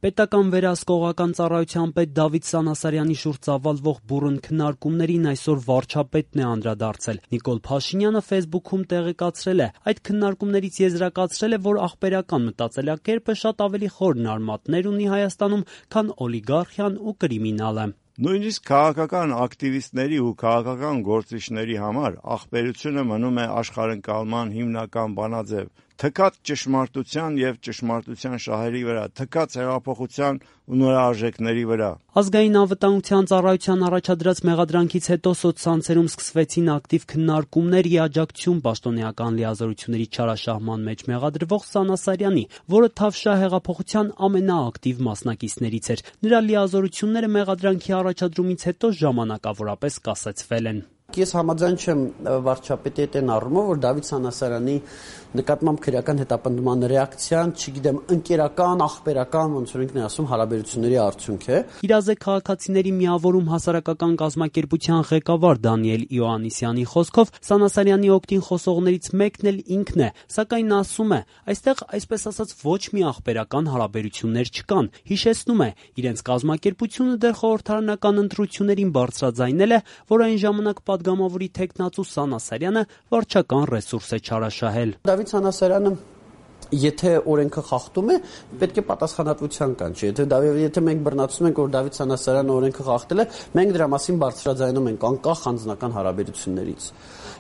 Պետական վերահսկողական ծառայության պետ Դավիթ Սանասարյանի շուրջ ծավալվող բուռն քննարկումներին այսօր վարչապետն է անդրադարձել։ Նիկոլ Փաշինյանը Facebook-ում տեղեկացրել է, այդ քննարկումներից եզրակացրել է, որ աղբերական մտածելակերպը շատ ավելի խոր արմատներ ունի Հայաստանում, քան օլիգարխիան ու կրիմինալը։ Նույնիսկ քաղաքական ակտիվիստների ու քաղաքական գործիչների համար աղբերությունը մնում է աշխարհընկալման հիմնական բանաձև, թքած ճշմարտության եւ ճշմարտության շահերի վրա, թքած հեղափոխության ու նորարժեքների վրա։ Ազգային անվտանգության ծառայության առաջադրած մեղադրանքից հետո սոցցանցերում սկսվեցին ակտիվ քննարկումներ ի աջակցություն պաշտոնեական լիազորությունների չարաշահման մեջ մեղադրվող Սանասարյանի, որը Թավշյա հեղափոխության ամենաակտիվ մասնակիցներից էր։ Նրա լիազորությունները մեղադրանքի առաջադրումից հետո ժամանակավորապես կասեցվել են։ Ես համաձայն չեմ վարչապետի հետ այն առումով, որ Դավիթ Սանասարյանի նկատմամբ քրեական հետապնդման ռեակցիան, չգիտեմ, ընկերական, աղբերական, ոնց որ ինքն է ասում, հարաբերությունների արդյունք է։ Իրազեկ քաղաքացիների միավորում հասարակական կազմակերպության ղեկավար Դանիել Իոաննիսյանի խոսքով Սանասարյանի օգտին խոսողներից մեկն էլ ինքն է, սակայն ասում է, այստեղ այսպես ասած ոչ մի աղբերական հարաբերություններ չկան։ Հիշեցնում է, իրենց կազմակերպությունը դեռ խորհրդարանական ընտրություններին բարձրաձայնել է, որ այն ժամանակ պատգամավորի թեկնածու Սանասարյանը վարչական ռեսուրս է չարաշահել։ Դավիթ Սանասարյանը եթե օրենքը խախտում է, պետք է պատասխանատվության կանչի։ Եթե մենք բռնացնում ենք, որ Դավիթ Սանասարյանը օրենքը խախտել է, մենք դրա մասին բարձրաձայնում ենք անկախ անձնական հարաբերություններից։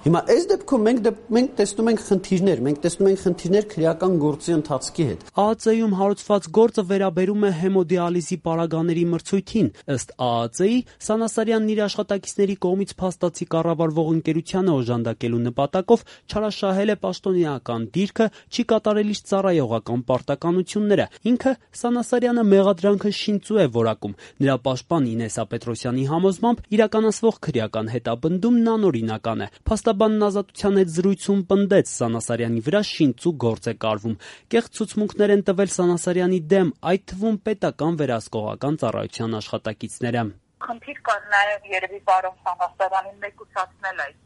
Հիմա այս դեպքում մենք տեսնում ենք խնդիրներ քրեական գործի ընթացքի հետ։ ԱԱԾ-ում հարուցված գործը վերաբերում է հեմոդիալիզի պարագաների մրցույթին։ Ըստ ԱԱԾ-ի, Սանասարյանն իր աշխատակիցների կողմից փաստացի կառավարվող ընկերությանը օժանդակելու նպատակով չարաշահել է պաշտոնեական դիրքը, չի կատարել իր ծառայողական պարտականությունները։ Ինքը Սանասարյանը մեղադրանքը շինծու է որակում։ Նրա պաշտպան Ինեսա Պետրոսյանի համոզմամբ իրականացվող քրեական հետապնդումն անօրինական է։ Փաստաբանն Ազատության հետ զրույցում պնդեց Սանասարյանի վրա շինծու գործ է կարվում։ Կեղծ ցուցմունքներ են տվել Սանասարյանի դեմ, այդ թվում պետական վերահսկողական ծառայության աշխատակիցները։ Խնդիր կար նաև երևի պարոն Սանասարյանին մեկուսացնել այդ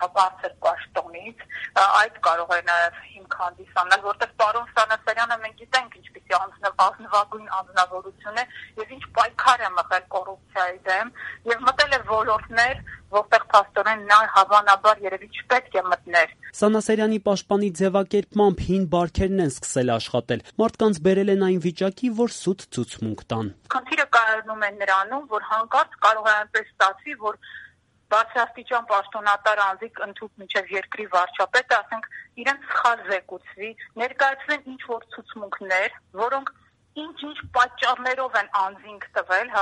բարձր պաշտոնից, այդ կարող է նաև հիմք հանդիսանալ, որտեղ պարոն Սանասարյանը մենք գիտենք ինչպիսի ազնվագույն անձնավորություն է եւ ինչ պայքար է մղել կոռուպցիայի դեմ եւ մտել է ոլորտներ, որտեղ փաստորեն նա հավանաբար երևի չպետք է մտներ։ Սանասարյանի պաշտպանի ձևակերպմամբ հին բարքերն են սկսել աշխատել։ Մարդկանց բերել են այն վիճակի, որ սուտ ցուցմունք տան։ Խնդիրը կայանում է նրանում, որ հանկարծ կարող է այնպես ստացվի, որ բարձրաստիճան պաշտոնատար անձիկ ընդհուպ մինչև երկրի վարչապետը, ասենք, իրենց սխալ զեկուցվի, ներկայացվեն ինչ-որ ցուցմունքներ, որոնք ինչ-ինչ պատճառներով են անձինք տվել,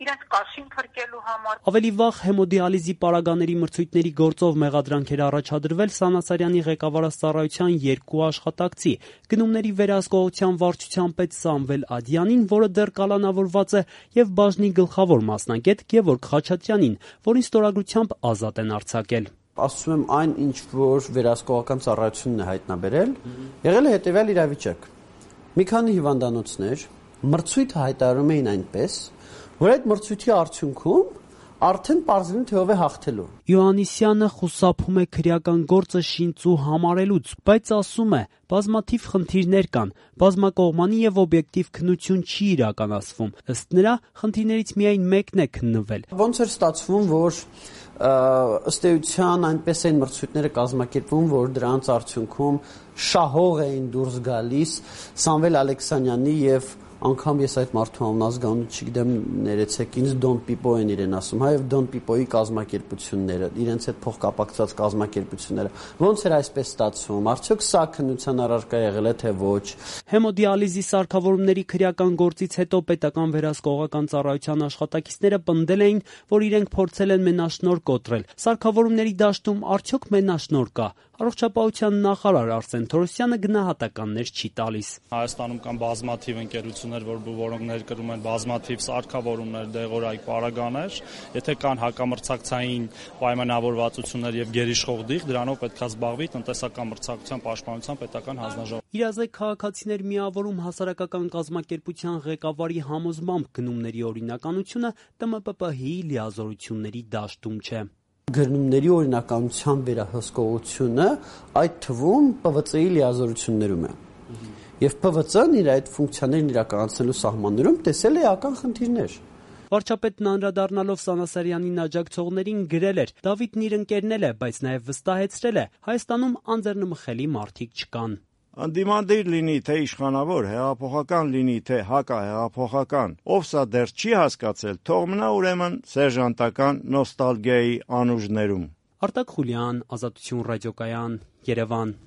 իրենց կաշին փրկելու համար։ Ավելի վաղ հեմոդիալիզի պարագաների մրցույթների գործով մեղադրանք էր առաջադրվել Սանասարյանի ղեկավարած ծառայության 2 աշխատակցի՝ գնումների վերահսկողության վարչության պետ Սամվել Ադյանին, որը դեռ կալանավորված է, եւ բաժնի գլխավոր մասնագետ Գևորգ Խաչատրյանին, որին ստորագրությամբ ազատ են արձակել։ Ասում եմ, այն ինչ որ վերահսկողական ծառայությունն է հայտնաբերել, եղել է հետեւյալ իրավիճակ։ Մի քանի հիվանդանոցներ մրցույթ հայտարարում էին այնպես, որ այդ մրցույթի արդյունքում արդեն պարզվում թե ով է հաղթելու։ Իոաննիսյանը խուսափում է քրեական գործը շինծու համարելուց, բայց ասում է, բազմաթիվ խնդիրներ կան, բազմակողմանի եւ օբյեկտիվ քննություն չի իրականացվում։ Ըստ նրա, խնդիրներից միայն մեկն է քննվել։ Ոնց էր ստացվում, որ ըստ էության այնպես են մրցույթները կազմակերպվում, որ դրանց արդյունքում շահող էին դուրս գալիս Սամվել Ալեքսանյանի եւ անգամ ես այդ մարդու անազգանունը չգիտեմ, ներեցեք ինձ Դոն Պիպո են իրեն ասում, եւ Դոն Պիպոյի կազմակերպությունները, իրենց հետ փոխկապակցված կազմակերպությունները։ Ոնց էր այսպես ստացվում։ Արդյոք սա քննության առարկա եղել է թե ոչ։ Հեմոդիալիզի սարքավորումների քրեական գործից հետո պետական վերահսկողական ծառայության աշխատակիցները պնդել էին, որ իրենք փորձել են մենաշնորհ կոտրել։ Սարքավորումների դաշտում արդյոք մենաշնորհ կա։ Առողջապահության նախարար Արսեն Թորոսյանը գնահատականներ չի տալիս։ Հայաստանում կան բազմաթիվ ընկերություններ, որոնք ներկրում են բազմաթիվ սարքավորումներ, դեղորայք, պարագաներ, եթե կան հակամրցակցային պայմանավորվածություններ եւ գերիշխող դիղ, դրանով պետք է զբաղվի տնտեսական մրցակցության պաշտպանության պետական հանձնաժողովը։ Իրազեկ քաղաքացիներ միավորում հասարակական կազմակերպության ղեկավարի համոզմամբ գնումների օրինականությունը ՏՄՊՊՀ-ի լիազորությունների դաշտում չէ։ Գնումների օրինականության վերահսկողությունը այդ թվում ՊՎԾ-ի լիազորություններում է։ Եվ ՓՎԾ-ն իր այդ ֆունկցիաներն իրականացնելու սահմաններում տեսել է էական խնդիրներ։ Վարչապետն անդրադառնալով Սանասարյանին աջակցողներին գրել էր. Դավիթն իր ընկերն է, բայց նաև վստահեցրել է, Հայաստանում անձեռնմխելի մարդիկ չկան։ Անդիմադիր լինի թե իշխանավոր, հեղափոխական լինի թե հակահեղափոխական, ով սա դեռ չի հասկացել, թող մնա ուրեմն սերժանտական նոստալգիայի անուժներում։ Արտակ Խուլյան, Ազատություն ռադիոկայան, Երևան։